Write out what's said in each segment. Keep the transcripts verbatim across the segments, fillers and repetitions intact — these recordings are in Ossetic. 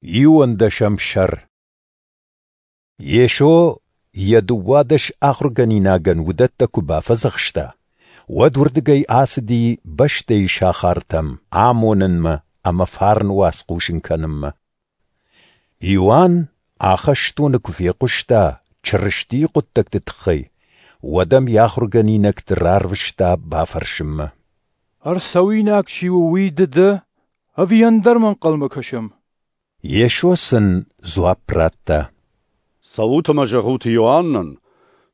Иуӕндӕсӕм сӕр. Йесо йӕ дыууадӕс ахуыргӕнинагӕн уыдӕттӕ куы бафӕдзӕхста, уӕд уырдыгӕй ацыди бӕстӕйы сахартӕм амонынмӕ ӕмӕ фарны уац хъусын кӕнынмӕ. Иоанн ахӕстоны куы фехъуыста Чырыстийы хъуыддӕгты тыххӕй, уӕд ӕм йӕ ахуыргӕнинӕгты рарвыста бафӕрсынмӕ: Ӕрцӕуинаг чи у, уый ды дӕ, ӕви ӕндӕрмӕ ӕнхъӕлмӕ кӕсӕм? Йесо сын дзуапп радта: Цӕут ӕмӕ зӕгъут Иоаннӕн,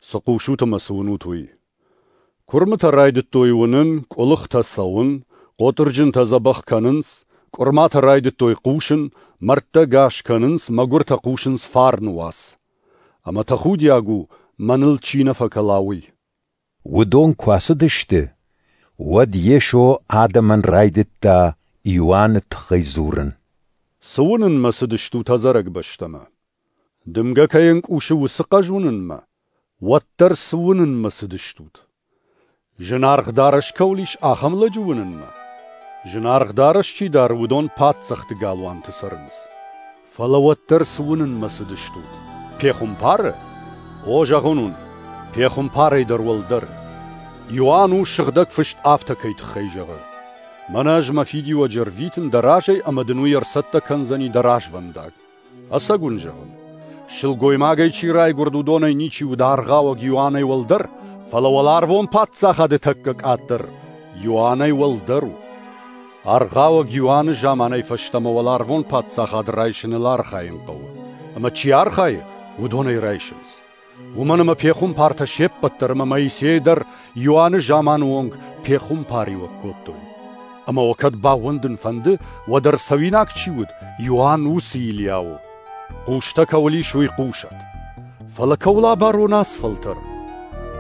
цы хъусут ӕмӕ цы уынут, уый. Куырмытӕ райдыдтой уынын, къуылыхтӕ цӕуын, хъотырджынтӕ дзӕбӕх кӕнынц, къуырматӕ райдыдтой хъусын, мӕрдтӕ гас кӕнынц, мӕгуыртӕ хъусынц фарны уац. Ӕмӕ тӕхудиаг у, мӕныл чи нӕ фӕкӕла, уый. Уыдон куы ацыдысты, уӕд Йесо адӕмӕн райдыдта Иоанны тыххӕй дзурын. Цы уынынмӕ цыдыстут ӕдзӕрӕг бӕстӕмӕ? Дымгӕ кӕй ӕнкъусы, уыцы хъӕз уынынмӕ? Уӕддӕр цы уынынмӕ цыдыстут? Зынаргъ дарӕс кӕуыл ис, ахӕм лӕджы уынынмӕ? Зынаргъ дарӕс чи дары, уыдон паддзӕхты галуанты цӕрынц. Фӕлӕ уӕддӕр цы уынынмӕ цыдыстут? Пехуымпары? О, зӕгъын уын, пехуымпарӕй дӕр уӕлдӕр. Иоанн у сыгъдӕг фыст афтӕ кӕй тыххӕй зӕгъы: Мӕнӕ ӕз мӕ фидиуӕджы ӕрвитын дӕ разӕй ӕмӕ дын уый ӕрцӕттӕ кӕндзӕни дӕ развӕндаг. Ӕцӕг уын зӕгъын, сылгоймагӕй чи райгуырд, уыдонӕй ничи уыд аргъауӕг Иоаннӕй уӕлдӕр, фӕлӕ уӕларвон паддзахады тӕккӕ къаддӕр Иоаннӕй уӕлдӕр у. Аргъауӕг Иоанны заманӕй фӕстӕмӕ уӕларвон паддзахад райсыныл архайын хъӕуы, ӕмӕ чи архайы, уыдон ӕй райсынц. Уымӕн ӕмӕ пехуымпартӕ се ппӕт дӕр ӕмӕ Моисей дӕр Иоанны заманы онг пехуымпариуӕг кодтой. Ӕмӕ уӕ кӕд баууӕндын фӕнды, уӕд ӕрцӕуинаг чи уыд, Иоанн уыцы Илиа у. Хъустӕ кӕуыл ис, уый хъусӕд. Фӕлӕ кӕуыл абарон ацы фӕлтӕр?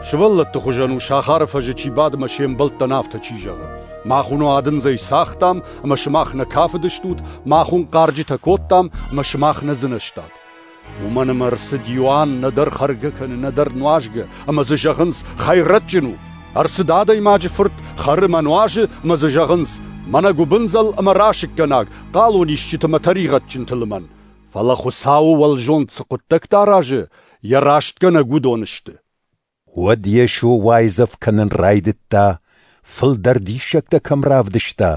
Сывӕллӕтты хуызӕн у сахары фӕзы чи бады ӕмӕ се мбӕлттӕн афтӕ чи зӕгъы: Мах уын уадындзӕй цагътам, ӕмӕ сымах нӕ кафыдыстут, мах уын хъарджытӕ кодтам, ӕмӕ сымах нӕ дзынӕзтат. Уымӕн ӕмӕ ӕрцыд Иоанн нӕдӕр хӕргӕ кӕны, нӕдӕр нуазгӕ, ӕмӕ дзы зӕгъынц: хӕйрӕджджын у. Ӕрцыд адӕймаджы фырт, хӕры ӕмӕ нуазы, ӕмӕ дзы зӕгъынц: мӕнӕ гуыбындзӕл ӕмӕ расыггӕнаг, хъалонисджыты ӕмӕ тӕригъӕдджынты лымӕн. Фӕлӕ Хуыцауы уӕлзонд цы хъуыддӕгтӕ аразы, йӕ рӕстгӕнӕг уыдон сты. Уӕд Йесо уайдзӕф кӕнын райдыдта, фылдӕр диссӕгтӕ кӕм равдыста,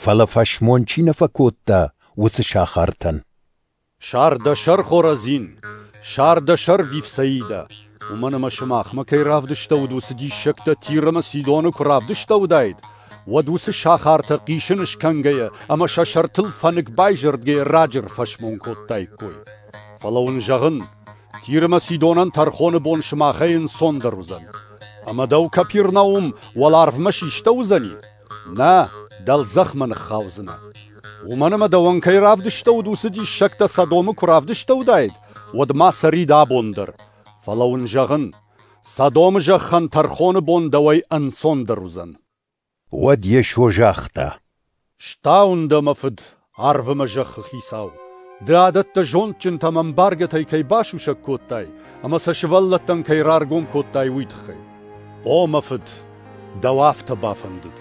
фӕлӕ фӕсмон чи нӕ фӕкодта, уыцы сахартӕн. Сар дӕ сӕр, Хоразин, сар дӕ сӕр, Вифсаидӕ, уымӕн ӕмӕ сымахмӕ кӕй равдыстӕуыд, уыцы диссӕгтӕ Тир ӕмӕ Сидоны куы равдыстӕуыдаид, уӕд уыцы сахартӕ хъисын скӕнгӕйӕ ӕмӕ сӕ сӕртыл фӕнык байзӕрдгӕйӕ раджы ӕрфӕсмон кодтаиккой. Фӕлӕ уын зӕгъын, Тир ӕмӕ Сидонӕн тӕрхоны бон сымахӕй ӕнцондӕр уыдзӕн. Ӕмӕ дӕу, Капернаум, уӕларвмӕ систӕуыдзӕни? Нӕ, дӕлдзӕхмӕ ныххаудзынӕ. Уымӕн ӕмӕ дӕуӕн кӕй равдыстӕуыд, уыцы диссӕгтӕ Содомы куы равдыстӕуыдаид, уӕд ма цӕрид абон дӕр. Фӕлӕ уын зӕгъын, Содомы зӕххӕн тӕрхоны бон дӕуӕй ӕнцондӕр уыдзӕн. Уӕд Йесо загъта: Стауын дӕ, мӕ Фыд, арв ӕмӕ зӕххы хицау! Ды адӕттӕ зондджынтӕ ӕмӕ ӕмбаргӕтӕй кӕй басусӕг кодтай ӕмӕ сӕ сывӕллӕттӕн кӕй раргом кодтай, уый тыххӕй. О, мӕ Фыд, дӕу афтӕ бафӕндыд.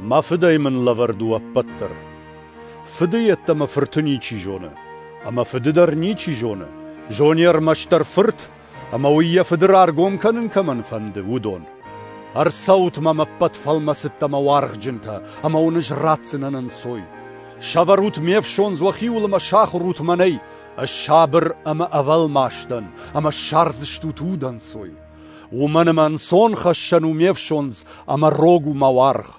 Мӕ Фыдӕй мын лӕвӕрд у ӕппӕт дӕр. Фыды йеддӕмӕ Фырты ничи зоны, ӕмӕ Фыды дӕр ничи зоны, зоны ӕрмӕстдӕр Фырт, ӕмӕ уый йӕ Фыды раргом кӕнын кӕмӕн фӕнды, уыдон. Ӕрцӕут мӕм ӕппӕт фӕлмӕцыдтӕ ӕмӕ уаргъджынтӕ, ӕмӕ уын ӕз ратдзынӕн ӕнцой. Сӕвӕрут ме фсондз уӕхиуыл ӕмӕ сахуыр ут мӕнӕй, ӕз сабыр ӕмӕ ӕвӕлмас дӕн, ӕмӕ ссардзыстут удӕнцой. Уымӕн ӕмӕ ӕнцон хӕссӕн у ме фсондз, ӕмӕ рог у мӕ уаргъ.